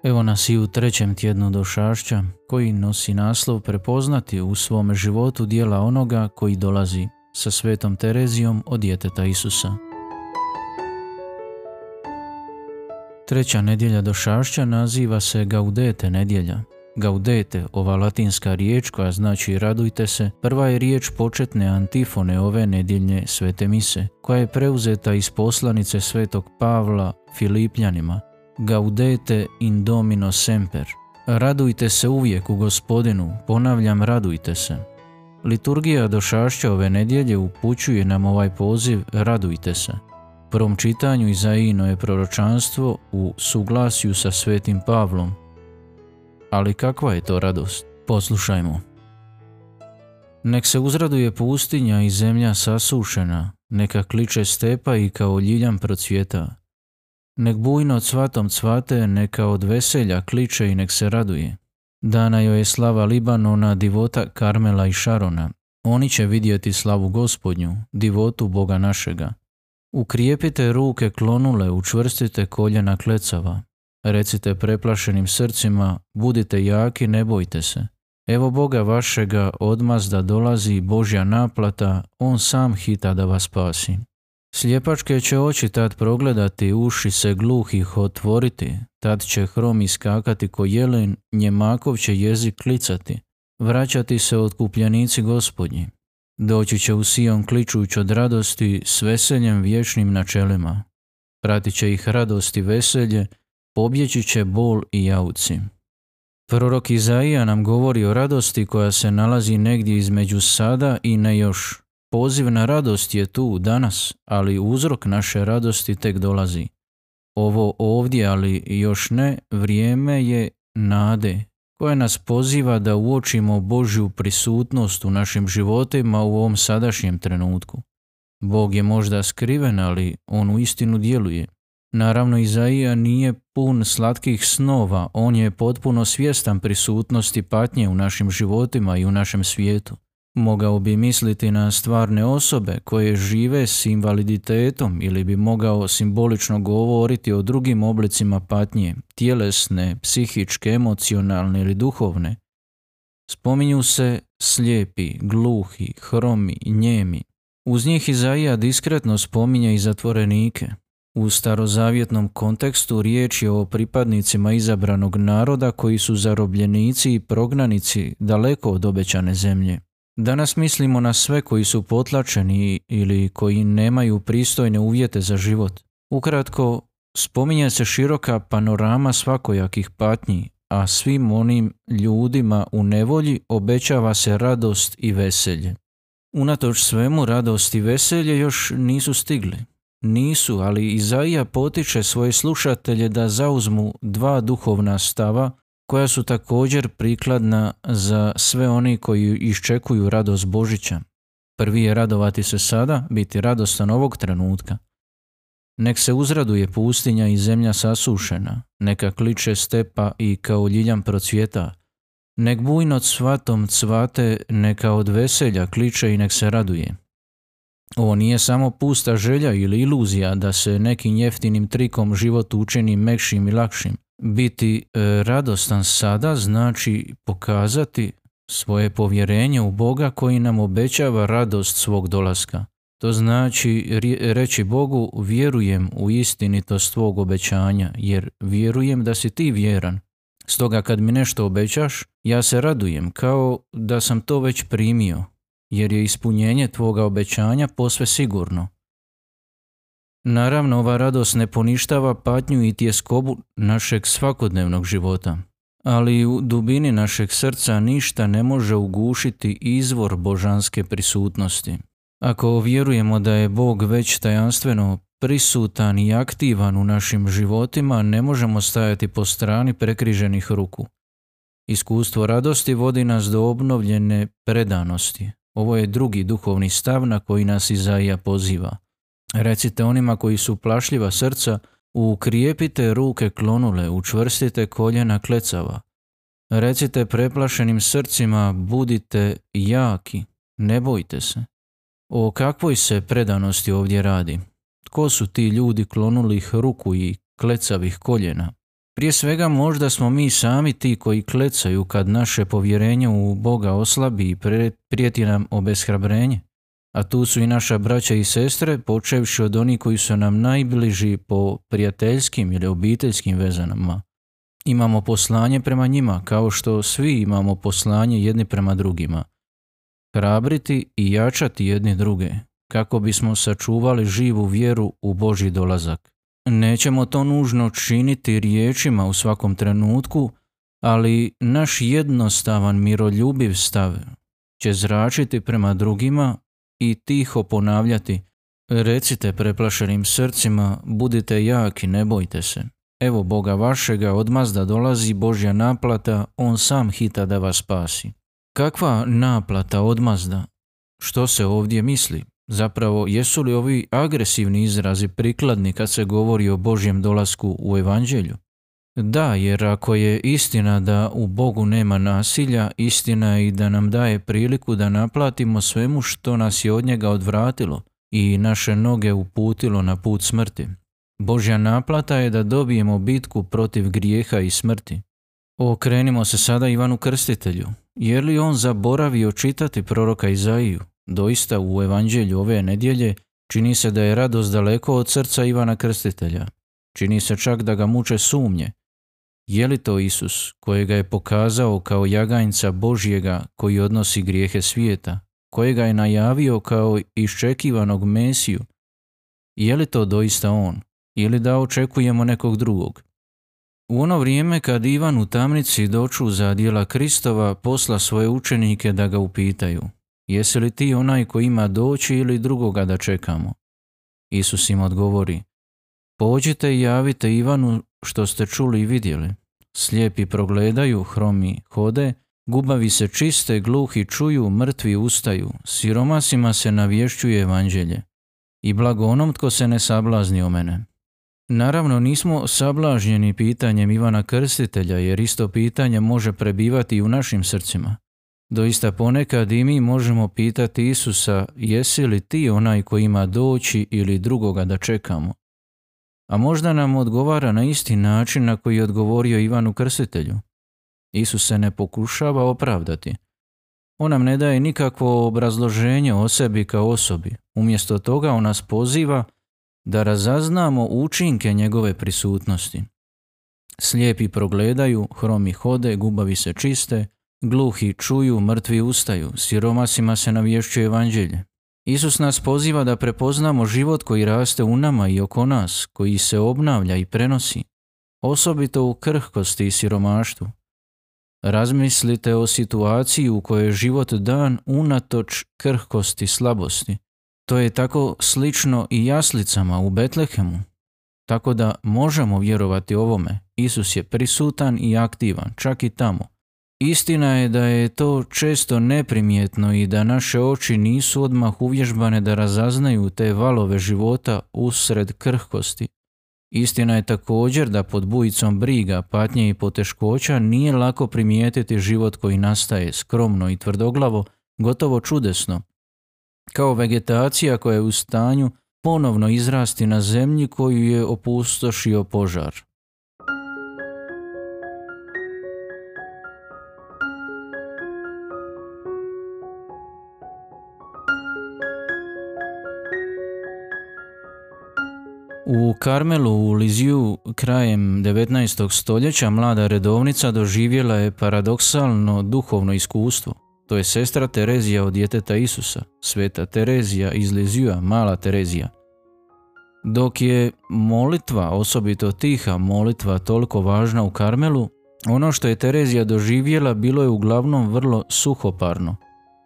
Evo nas i u trećem tjednu došašća koji nosi naslov prepoznati u svome životu djela onoga koji dolazi sa svetom Terezijom od djeteta Isusa. Treća nedjelja došašća naziva se Gaudete nedjelja. Gaudete, ova latinska riječ koja znači radujte se, prva je riječ početne antifone ove nedjeljne svete mise, koja je preuzeta iz poslanice svetog Pavla Filipljanima. Gaudete in Domino semper. Radujte se uvijek u Gospodinu, ponavljam radujte se. Liturgija došašća ove nedjelje upućuje nam ovaj poziv radujte se. U prvom čitanju Izaijino je proročanstvo u suglasju sa svetim Pavlom. Ali kakva je to radost? Poslušajmo. Nek se uzraduje pustinja i zemlja sasušena, neka kliče stepa i kao ljiljan procvjeta. Nek bujno cvatom cvate, neka od veselja kliče i nek se raduje. Dana joj je slava Libanona, divota Karmela i Šarona. Oni će vidjeti slavu Gospodnju, divotu Boga našega. Ukrijepite ruke klonule, učvrstite koljena klecava. Recite preplašenim srcima, budite jaki, ne bojte se. Evo Boga vašega odmazda dolazi Božja naplata, On sam hita da vas spasi. Sljepačke će oči tad progledati, uši se gluhih otvoriti, tad će hrom iskakati ko jelen, njemakov će jezik klicati, vraćati se otkupljenici Gospodnji. Doći će u Sion kličuć od radosti s veseljem vječnim načelima. Pratit će ih radost i veselje, pobjeći će bol i jauci. Prorok Izaija nam govori o radosti koja se nalazi negdje između sada i ne još. Poziv na radost je tu danas, ali uzrok naše radosti tek dolazi. Ovo ovdje, ali još ne, vrijeme je nade, koja nas poziva da uočimo Božju prisutnost u našim životima u ovom sadašnjem trenutku. Bog je možda skriven, ali On uistinu djeluje. Naravno, Izaija nije pun slatkih snova, on je potpuno svjestan prisutnosti patnje u našim životima i u našem svijetu. Mogao bi misliti na stvarne osobe koje žive s invaliditetom ili bi mogao simbolično govoriti o drugim oblicima patnje, tjelesne, psihičke, emocionalne ili duhovne. Spominju se slijepi, gluhi, hromi, njemi. Uz njih Izaija diskretno spominje i zatvorenike. U starozavjetnom kontekstu riječ je o pripadnicima izabranog naroda koji su zarobljenici i prognanici daleko od obećane zemlje. Danas mislimo na sve koji su potlačeni ili koji nemaju pristojne uvjete za život. Ukratko, spominje se široka panorama svakojakih patnji, a svim onim ljudima u nevolji obećava se radost i veselje. Unatoč svemu, radost i veselje još nisu stigli. Nisu, ali Izaija potiče svoje slušatelje da zauzmu dva duhovna stava koja su također prikladna za sve oni koji iščekuju radost Božića. Prvi je radovati se sada, biti radostan ovog trenutka. Nek se uzraduje pustinja i zemlja sasušena, neka kliče stepa i kao ljiljan procvjeta. Nek bujno cvatom cvate, neka od veselja kliče i nek se raduje. Ovo nije samo pusta želja ili iluzija da se nekim jeftinim trikom život učini mekšim i lakšim. Biti radostan sada znači pokazati svoje povjerenje u Boga koji nam obećava radost svog dolaska. To znači reći Bogu vjerujem u istinitost tvog obećanja jer vjerujem da si ti vjeran. Stoga kad mi nešto obećaš, ja se radujem kao da sam to već primio jer je ispunjenje tvoga obećanja posve sigurno. Naravno, ova radost ne poništava patnju i tjeskobu našeg svakodnevnog života, ali u dubini našeg srca ništa ne može ugušiti izvor božanske prisutnosti. Ako vjerujemo da je Bog već tajanstveno prisutan i aktivan u našim životima, ne možemo stajati po strani prekriženih ruku. Iskustvo radosti vodi nas do obnovljene predanosti. Ovo je drugi duhovni stav na koji nas Izaija poziva. Recite onima koji su plašljiva srca, ukrijepite ruke klonule, učvrstite koljena klecava. Recite preplašenim srcima, budite jaki, ne bojte se. O kakvoj se predanosti ovdje radi? Tko su ti ljudi klonulih ruku i klecavih koljena? Prije svega možda smo mi sami ti koji klecaju kad naše povjerenje u Boga oslabi i prijeti nam obeshrabrenje. A tu su i naša braća i sestre, počevši od onih koji su nam najbliži po prijateljskim ili obiteljskim vezanama. Imamo poslanje prema njima, kao što svi imamo poslanje jedni prema drugima. Hrabriti i jačati jedni druge, kako bismo sačuvali živu vjeru u Božji dolazak. Nećemo to nužno činiti riječima u svakom trenutku, ali naš jednostavan miroljubiv stav će zračiti prema drugima i tiho ponavljati: recite preplašenim srcima, budite jaki, ne bojte se. Evo Boga vašega, odmazda dolazi Božja naplata, On sam hita da vas spasi. Kakva naplata, odmazda? Što se ovdje misli? Zapravo, jesu li ovi agresivni izrazi prikladni kad se govori o Božjem dolasku u Evanđelju? Da, jer ako je istina da u Bogu nema nasilja, istina je i da nam daje priliku da naplatimo svemu što nas je od njega odvratilo i naše noge uputilo na put smrti. Božja naplata je da dobijemo bitku protiv grijeha i smrti. Okrenimo se sada Ivanu Krstitelju. Je li on zaboravio čitati proroka Izaiju? Doista u Evanđelju ove nedjelje čini se da je radost daleko od srca Ivana Krstitelja. Čini se čak da ga muče sumnje. Je li to Isus kojega je pokazao kao jaganjca Božjega koji odnosi grijehe svijeta, kojega je najavio kao iščekivanog Mesiju? Je li to doista on ili da očekujemo nekog drugog? U ono vrijeme kad Ivan u tamnici dočuza djela Kristova, posla svoje učenike da ga upitaju: jesi li ti onaj koji ima doći ili drugoga da čekamo? Isus im odgovori: pođite i javite Ivanu što ste čuli i vidjeli. Slijepi progledaju, hromi hode, gubavi se čiste, gluhi čuju, mrtvi ustaju, siromasima se navješćuje evanđelje. I blago onom tko se ne sablazni o mene. Naravno, nismo sablažnjeni pitanjem Ivana Krstitelja, jer isto pitanje može prebivati i u našim srcima. Doista ponekad i mi možemo pitati Isusa: jesi li ti onaj koji ima doći ili drugoga da čekamo? A možda nam odgovara na isti način na koji je odgovorio Ivanu Krstitelju. Isus se ne pokušava opravdati. On nam ne daje nikakvo obrazloženje o sebi kao osobi. Umjesto toga on nas poziva da razaznamo učinke njegove prisutnosti. Slijepi progledaju, hromi hode, gubavi se čiste, gluhi čuju, mrtvi ustaju, siromasima se navješćuje evanđelje. Isus nas poziva da prepoznamo život koji raste u nama i oko nas, koji se obnavlja i prenosi, osobito u krhkosti i siromaštvu. Razmislite o situaciji u kojoj je život dan unatoč krhkosti, slabosti. To je tako slično i jaslicama u Betlehemu. Tako da možemo vjerovati ovome. Isus je prisutan i aktivan, čak i tamo. Istina je da je to često neprimjetno i da naše oči nisu odmah uvježbane da razaznaju te valove života usred krhkosti. Istina je također da pod bujicom briga, patnje i poteškoća nije lako primijetiti život koji nastaje skromno i tvrdoglavo, gotovo čudesno, kao vegetacija koja je u stanju ponovno izrasti na zemlji koju je opustošio požar. U Karmelu u Liziju krajem 19. stoljeća mlada redovnica doživjela je paradoksalno duhovno iskustvo. To je sestra Terezija od djeteta Isusa, sveta Terezija iz Lizija, mala Terezija. Dok je molitva, osobito tiha molitva, toliko važna u Karmelu, ono što je Terezija doživjela bilo je uglavnom vrlo suhoparno.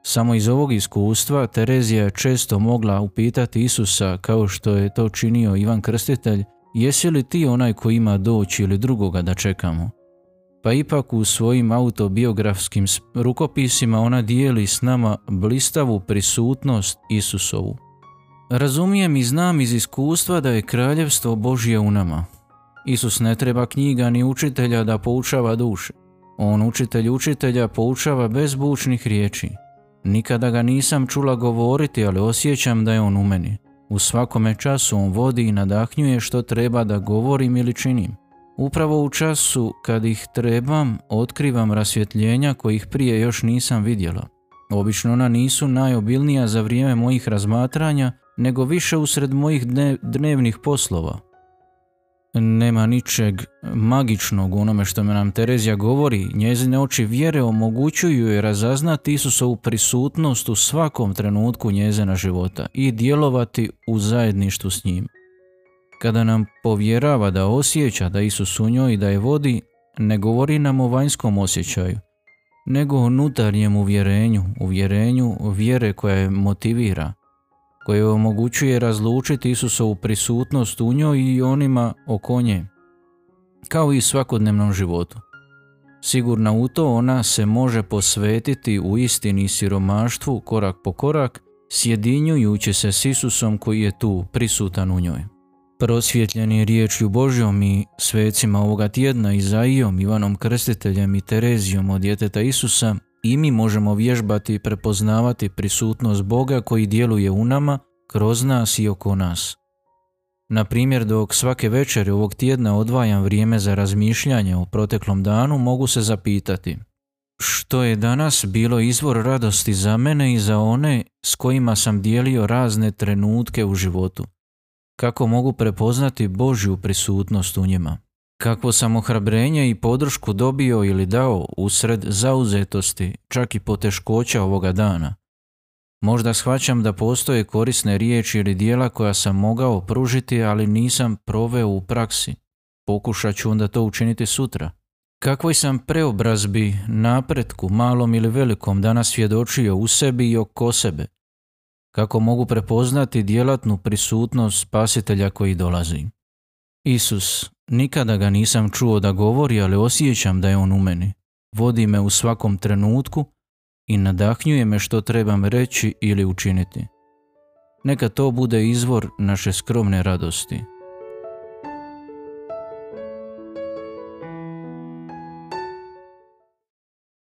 Samo iz ovog iskustva Terezija je često mogla upitati Isusa, kao što je to činio Ivan Krstitelj: jesi li ti onaj koji ima doći ili drugoga da čekamo? Pa ipak u svojim autobiografskim rukopisima ona dijeli s nama blistavu prisutnost Isusovu. Razumijem i znam iz iskustva da je kraljevstvo Božje u nama. Isus ne treba knjiga ni učitelja da poučava duše. On učitelja poučava bez bučnih riječi. Nikada ga nisam čula govoriti, ali osjećam da je on u meni. U svakome času on vodi i nadahnjuje što treba da govorim ili činim. Upravo u času kad ih trebam, otkrivam rasvjetljenja kojih prije još nisam vidjela. Obično ona nisu najobilnija za vrijeme mojih razmatranja, nego više usred mojih dnevnih poslova. Nema ničeg magičnog u onome što nam Terezija govori. Njezine oči vjere omogućuju je razaznati Isusovu prisutnost u svakom trenutku njezina života i djelovati u zajedništvu s njim. Kada nam povjerava da osjeća da Isus u njoj i da je vodi, ne govori nam o vanjskom osjećaju, nego o unutarnjem uvjerenju vjere koja je motivira, koje omogućuje razlučiti Isusovu prisutnost u njoj i onima oko nje, kao i svakodnevnom životu. Sigurna u to, ona se može posvetiti u istini i siromaštvu korak po korak, sjedinjujući se s Isusom koji je tu prisutan u njoj. Prosvjetljeni riječju Božjom i svecima ovoga tjedna, Izaijom, Ivanom Krstiteljem i Terezijom od djeteta Isusa, i mi možemo vježbati i prepoznavati prisutnost Boga koji djeluje u nama, kroz nas i oko nas. Na primjer, dok svake večeri ovog tjedna odvajam vrijeme za razmišljanje o proteklom danu, mogu se zapitati: što je danas bilo izvor radosti za mene i za one s kojima sam dijelio razne trenutke u životu? Kako mogu prepoznati Božju prisutnost u njima? Kakvo sam ohrabrenje i podršku dobio ili dao usred zauzetosti, čak i poteškoća ovoga dana? Možda shvaćam da postoje korisne riječi ili djela koja sam mogao pružiti, ali nisam proveo u praksi. Pokušat ću onda to učiniti sutra. Kakvoj sam preobrazbi, napretku, malom ili velikom, danas svjedočio u sebi i oko sebe? Kako mogu prepoznati djelatnu prisutnost Spasitelja koji dolazi? Isus, nikada ga nisam čuo da govori, ali osjećam da je on u meni. Vodi me u svakom trenutku i nadahnjuje me što trebam reći ili učiniti. Neka to bude izvor naše skromne radosti.